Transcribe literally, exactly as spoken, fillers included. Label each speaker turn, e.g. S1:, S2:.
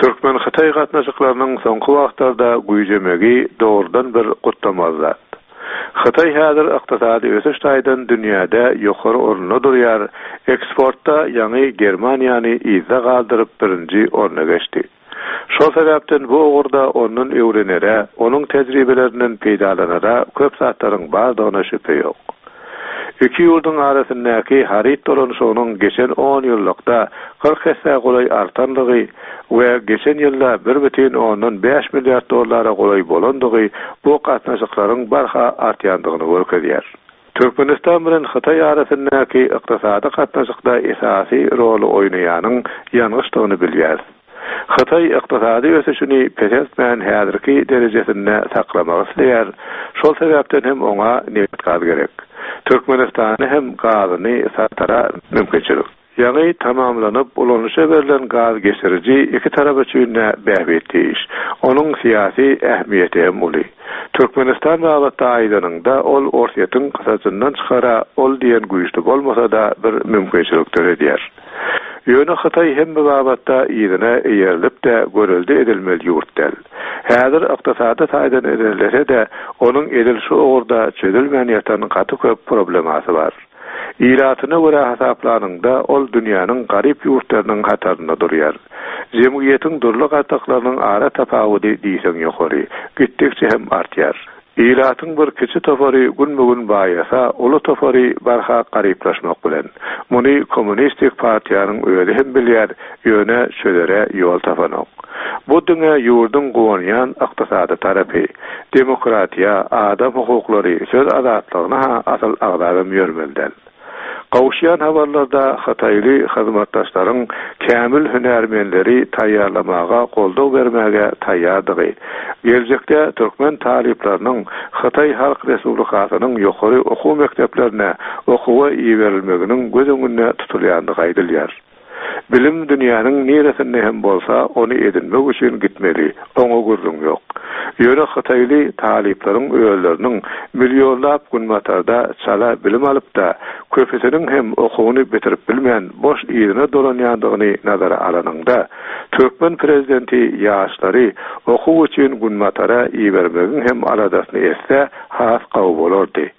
S1: Türkmen-Hytaý gatnaşyklarynyň soňky wagtlarda güýjemegi dogrudan bir gutlamaly zat. Hytaý häzir ykdysady ösüş taýdan dünýäde ýokary orunda durýar, eksportda ýaňy Germaniýany yzda galdyryp birinji orna geçdi. Şol sebäpden bu ugurda ondan öwrenere, onuň tejribelerinden peýdalanara köp zatlaryň bardygyna şübhe ýok. Iki ýurduň arasyndaky haryt dolanyşygynyň geçen on ýyllykda kyrk esse golaý artandygy we geçen ýylda bir bütin ondan bäş milliard dollara golaý bolandygy bu gatnaşyklaryň barha artýandygyny görkezýär. Türkmenistan bilen Hytaý arasyndaky ykdysady gatnaşykda esasy roly oýnaýanyň ýangyçdygyny bilýär. Hytaý ykdysady ösüşini peseltmän häzirki derejesinde saklamak isleýär. Şol sebäpden hem oňa nebit gaz gerek. Türkmenistany hem gazyny satara mümkinçilik. Ýaňy tamamlanyp ulanyşa berlen gaz geçiriji iki tarap üçin de bähbitli iş. Onuň syýasy ähmiýeti hem uly. Türkmenistan babatda aýdanynda ol Orsýetiň kysasyndan çykara ol diýen güýçli bolmasa da bir mümkinçilik döredýär. Ýöne Hytaý hem bu babatda yzyna eýerilip de görüldi edilmeli ýurt däl. Häzir ykdysady taýdan ilerlese de onuň edil şu ugurda çözülmän ýatan gaty köp problemasy bar. Ilatyna görä hasaplanynda ol dünýäniň garyp ýurtlarynyň hatarynda durýar. Jemgyýetiň dürli gatlaklarynyň ara tapawudy diýseň ýokary, gitdikçe hem artýar. Ilatyň bir kiçi topary gün-bugün baýasa, uly topary barha garyplaşmak bilen. Muny kommunistik partiýanyň özi hem bilýär, ýöne çözere ýol tapanok. Bu diňe ýurduň guwanýan ykdysady tarapy, demokratiýa, adam hukuklary, söz azatlygyna ha asyl agzabam ýörmeli däl. Gowuşýan habarlarda Hytaýly hyzmatdaşlaryň kämil hünärmenleri taýýarlamaga goldaw bermäge taýýardygy, geljekde türkmen talyplarynyň Hytaý Halk Respublikasynyň ýokary okuw mekdeplerine okuwa iberilmeginiň göz öňünde tutulýandygy aýdylýar. Bilim dünýäniň niresinde hem bolsa ony edinmek üçin gitmeli, oňa gürrüň ýok. Ýöne Hytaýly talyplaryň özleriniň millionlap günbatarda çala bilim alyp da köpüsiniň hem okuwyny bitirip bilmän boş yzyna dolanýandygyny nazara alanyňda, türkmen prezidenti ýaşlary okuw üçin günbatara ibermegiň hem aladasyny etse has gowy bolardy.